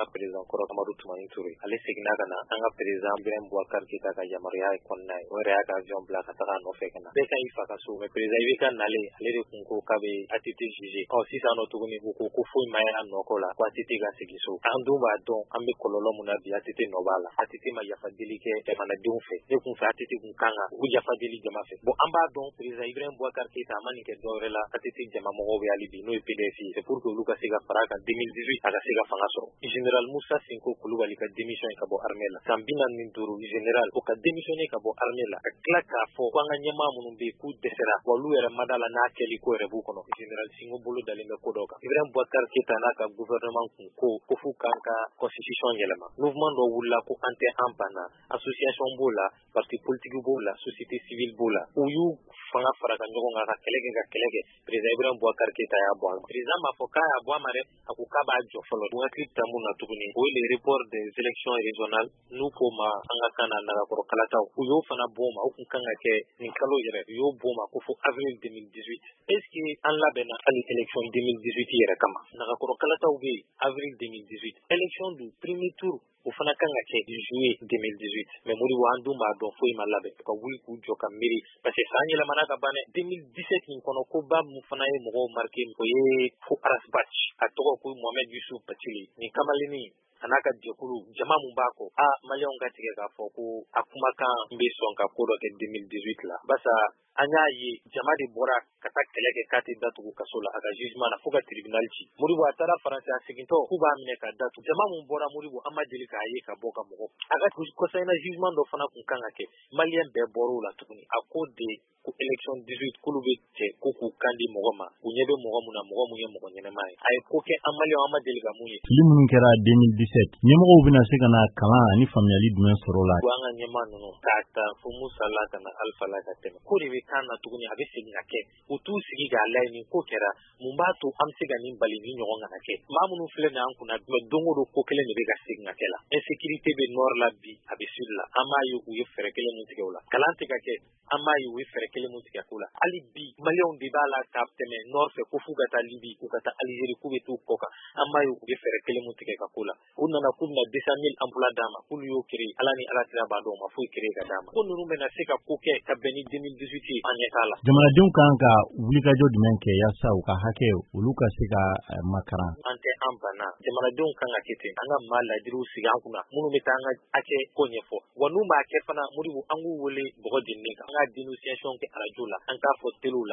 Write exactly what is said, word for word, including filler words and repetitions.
An ka président kɔrɔ Amadu Tumani Ture, ale seginna ka na an ka président Ibrahim Boubacar Keita ka yamaruya kɔnɔna ye. O yɛrɛ y'a ka avion bila ka taga a nɔfɛ ka na. Bɛɛ ka i fa ka so, mais président I B K nalen, ale de kun ko k'a bɛ A T T juger. Ɔ sisan nɔ tuguni, u ko ko foyi ma ye a nɔ ko la, ko A T T ka segin so. An dun b'a dɔn, an bɛ kɔlɔlɔ mun na bi, A T T nɔ b'a la. A T T ma yafa deli kɛ jamanadenw fɛ. Ne kun fɛ, A T T kun kan ka u yafa deli jama fɛ. Bon, an b'a dɔn, président Ibrahim Boubacar Keita a ma nin kɛ dɔwɛrɛ la, A T T jama mɔgɔw bɛ hali bi, n'o ye P D S ye, c'est pour que olu ka se ka fara a kan deux mille dix-huit, a ka se ka fanga sɔrɔ. Général Musa Sinko Kulubali ka démission ka bɔ armée la, san bi naani ni duuru général, o ka démissionner ka bɔ armée la, ka tila k'a fɔ ko an ka ɲɛmaa minnu bɛ yen k'u dɛsɛra, wa olu yɛrɛ ma da la n'a kɛli ko yɛrɛ b'u kɔnɔ. Général Sinko bolo dalen bɛ ko dɔ kan. Ibrahim Boubacar Keita n'a ka gouvernement kun ko ko f'u k'an ka constitution yɛlɛma. Mouvement dɔ wulila ko an tɛ an banna, association b'o la, parti politique b'o la, société civile b'o la. U y'u fanga fara ka ɲɔgɔn kan ka kɛlɛ kɛ, ka kɛlɛ kɛ. Président Ibrahim Boubacar Keita y'a bɔ a ma. Président m'a fɔ k'a y'a bɔ a ma dɛ, a ko k'a b'a jɔ fɔlɔ. U hakili ta mun na tuguni, o ye le report des élections régionales, n'u k'o ma an ka kan na nagakɔrɔ kalataw. U y'o fana bɔ o ma. O kun kan ka kɛ nin kalo yɛrɛ, u y'o bɔ o ma ko fo avril deux mille dix-huit. Est ce que an labɛnna hali élection deux mille dix-huit yɛrɛ kama? Nagakɔrɔ kalataw bɛ yen avril deux mille dix-huit, élection du premier tour, o fana kan ka kɛ juillet deux mille dix-huit. Mais Modibo, an dun b'a dɔn foyi ma labɛn ka wuli k'u jɔ ka miiri, parce que san yɛlɛmana ka ban dɛ. deux mille dix-sept nin kɔnɔ, ko ba mun fana ye mɔgɔw marqué, o ye ko Ras Bath, a tɔgɔ ko Mohamed Yusuf Bathily. Nin kamalennin a n'a ka jɛkulu jama mun b'a kɔ, a maliyɛnw ka tigɛ k'a fɔ ko a kumakan bɛ sɔn ka ko dɔ kɛ deux mille dix-huit la, barisa an y'a ye jama de bɔra ka taa kɛlɛ kɛ k'a tɛ datugu kaso la a ka jugement na, fo ka tribunal ci. Modibo, a taara Faransi, a segintɔ k'u b'a minɛ ka datugu. Jama mun bɔra, Modibo, an ma deli k'a ye ka bɔ ka mɔgɔ a ka kɔsa in na. Jugement dɔ fana kun kan ka kɛ, maliyɛn bɛɛ bɔr'o la tuguni. A ko de ko élection dix-huit, k'olu bɛ cɛ ko k'u kan di mɔgɔ ma, u ɲɛ bɛ mɔgɔ mun na, mɔgɔ mun ye mɔgɔ ɲɛnɛma ye. A ye ko kɛ, an maliyɛnw, an ma deli ka mun ye. Fili minnu kɛra deux mille dix-sept, ɲɛmɔgɔw bɛna se ka na kalan ani faamuyali jumɛn sɔrɔ o la? Ko an ka ɲɛmaa ninnu, k'a ta fo Musa la ka na Alpha la ka tɛmɛ, ko de bɛ kan na tuguni, a bɛ segin ka kɛ. U t'u sigi k'a lajɛ nin ko kɛra, mun b'a to an bɛ se ka nin bali, nin ɲɔgɔn kana kɛ? Maa minnu filɛ nin an kunna, don o don ko kelen de bɛ ka segin ka kɛ la. Insécurité bɛ nord la bi, a bɛ sud la. An b'a ye u ye fɛɛrɛ kelen mun tigɛ o la, kalan tɛ ka kɛ. An b'a ye u ye fɛɛrɛ kelen mun tigɛ ko la. Hali bi maliyɛnw de b'a la ka tɛmɛ nord fɛ ko f'u ka taa Libi, k'u ka taa Algérie, k'u bɛ t'u kɔ kan. An b'a ye u ye fɛɛrɛ kelen mun tigɛ ka ko la. U nana k'u bɛna deux cent mille emplois d'a ma, k'olu y'o créer. Ala ni Ala kira b'a dɔn, u ma foyi créer ka d'a ma. Ko ninnu bɛna se ka ko kɛ ka bɛn ni deux mille dix-huit ye, an ɲɛ t'a la. Jamanadenw kan ka wulikajɔ jumɛn kɛ yaasa u ka hakɛ olu ka se ka makaran? An tɛ an banna, jamanadenw kan ka kɛ ten. An ka maa ladiriw sigi an kunna minnu bɛ taa an ka hakɛ ko ɲɛfɔ, wa n'u m'a kɛ fana, Modibo, an k'u wele bɔgɔ jeninen kan. An ka dénonciation kɛ arajo la, an k'a fɔ telew la.